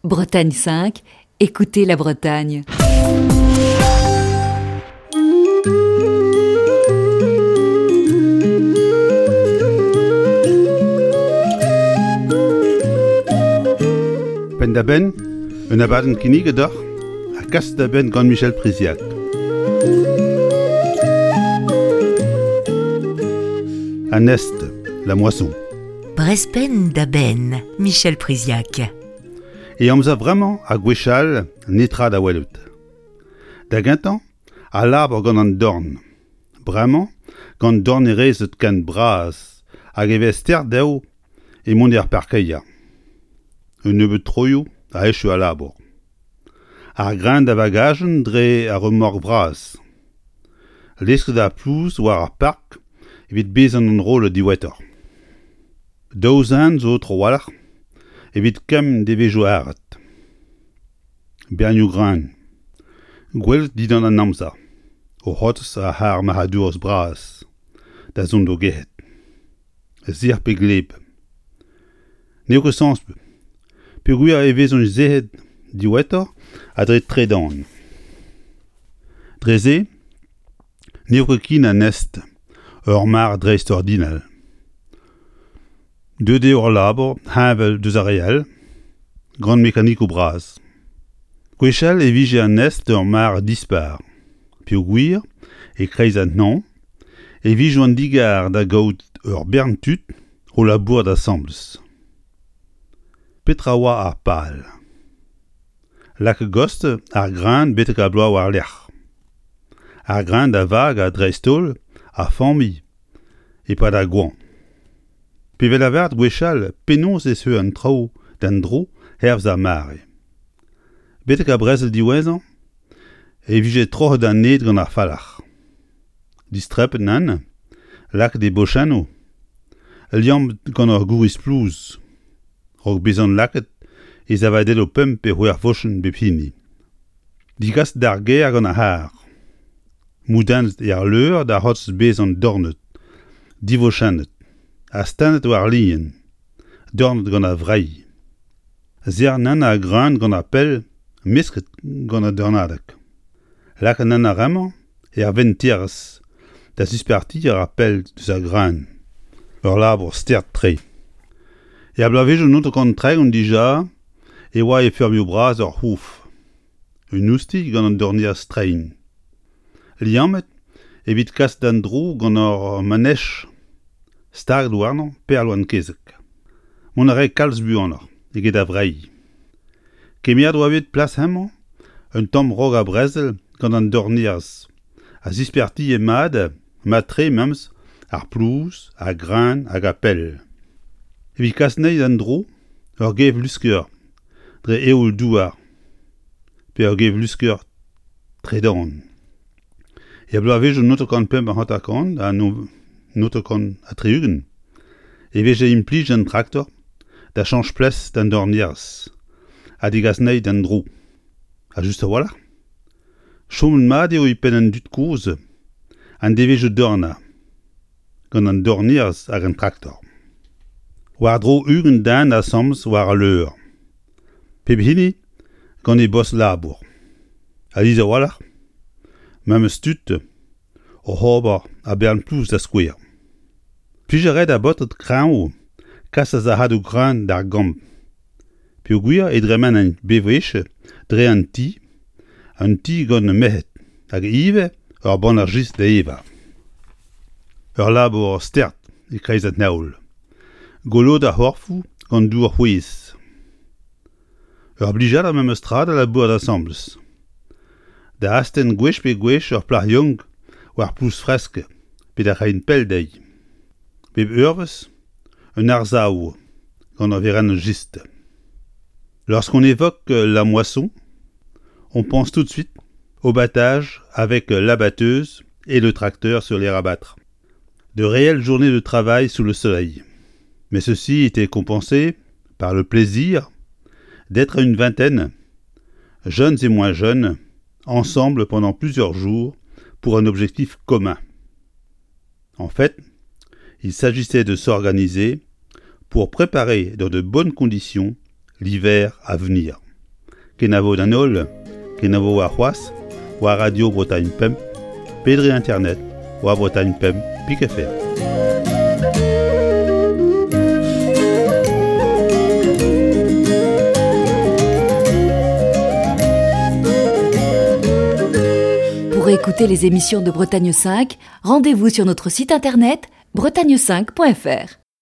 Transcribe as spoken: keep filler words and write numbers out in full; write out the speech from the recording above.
Bretagne cinq, écoutez la Bretagne. Penn-da-benn, un abadenn kinniget deoc'h ha kaset da benn gant Michel Priziac. An est, la moisson. Brezh penn da benn, Michel Priziac. E amzer vremañ ha gwechall, netra da welout. Da gentañ, al labour gant an dorn. Bremañ, gant dornerezed ken bras hag e vez start dezho emont er parkeier. Un nebeud troioù a echu al labour. Ar greun da vagajenn dre ar remork vras. Lesket ar plouz war ar park evit bezañ enrollet diwezhatoc'h. Daou zen zo trawalc'h evit kemm devezhioù arat. Bernioù greun. Gwelet dindan an amzer. O c'hortoz ar c'harr marc'hadourezh bras da zont d'o gerc'hat. Sec'h pe gleb. N'eo ket sañset peogwir e vezont sec'het diwezhatoc'h ha dre tredan. Dre-se n'eo ket ken an est ur mare dreistordinal. Deuet eo al labour heñvel deus ar re all, gant mekanikoù bras. Gwechall e vije an est ur mare dispar, peogwir, e-kreiz an hañv, e vije an digar da gaout ur bern tud o labourat asambles. Petra oa ar pal ? Lakaat a-gostez ar greun betek ar bloaz war-lerc'h. Ar greun da vagañ dreist-holl ar familh e-pad ar goañv. Pe vez lavaret gwechall penaos e zeu an traoù d'an dro hervez ar mare. Betek ar brezel diwezhañ e vije troc'het an ed gant ar falc'h. Distrepet nann, lakaet e bochennoù, liammet gant ur gouriz plouz, a-raok bezañ lakaet e savadelloù pemp pe c'hwec'h vochenn bep hini. Digaset d'ar gêr gant ar c'harr. Moudennet er leur da c'hortoz bezañ dornet, divochennet, astennet war lien, dornet gant ar vreilh. Serr-nann ar greun gant ar pell mesket gant an dornadeg. Lakaat nann ar re-mañ er venterezh da zispartiañ ar pell deus ar greun. Ur labour start-tre. Er bloavezhioù naontek tregont dija e oa e feurmioù bras ur c'houf. Un oustilh gant an dornerez treiñ. Liammet evit kas d'an dro gant ur manech staget warnañ perloen-kezeg. Mont a rae kalz buanoc'h eget ar vreilh. Kemeret oa bet plas hemañ un tamm raok ar brezel gant an dornerez a zispartie mat, mat-tre memes, ar plouz, ar greun hag ar pell. Evit kas anezhi d'an dro, ur gevlusker dre eoul-douar pe ur gevlusker tredan. Er bloavezhioù naontek kant pemp ha hanter-kant ha naontek kant ha tri-ugent e veze implijet an traktor da chañch plas d'an dornerez ha degas anezhi d'an dro. Ha just a-walc'h, chomet mat eo e penn an dud kozh an devezhioù dornañ gant an dornerez hag an traktor. War-dro ugent den asambles war al leur. Pep hini gant e bost labour. Alies a-walc'h, memes tud oc'h ober a-bern plouz da skouer. Plij a rae d'ar baotred kreñv kas ar sac'hadoù greun d'ar gambr. Peogwir e dremenent bewech dre an ti, un ti gant merc'hed hag ivez ur bannac'h jistr da evañ. Ur labour start e-kreiz an heol. Goloet ar c'horfoù gant dour c'hwez. Ur blijadur memes tra da labourat asambles. Da astenn gwech pe gwech ur plac'h yaouank war plouz fresk pe da reiñ pell dezhi. Bep eurvezh, un arsav gant ur werenn jistr. Lorsqu'on évoque la moisson, on pense tout de suite au battage avec l'abatteuse et le tracteur sur les rabattre. De réelles journées de travail sous le soleil. Mais ceci était compensé par le plaisir d'être une vingtaine, jeunes et moins jeunes, ensemble pendant plusieurs jours pour un objectif commun. En fait, il s'agissait de s'organiser pour préparer dans de bonnes conditions l'hiver à venir. Kenavo d'an holl, kenavo warc'hoazh, war Radio Bretagne Pemp, pe dre internet, war Bretagne Pemp, pik F R. Pour écouter les émissions de Bretagne cinq, rendez-vous sur notre site internet bretagne cinq point F R.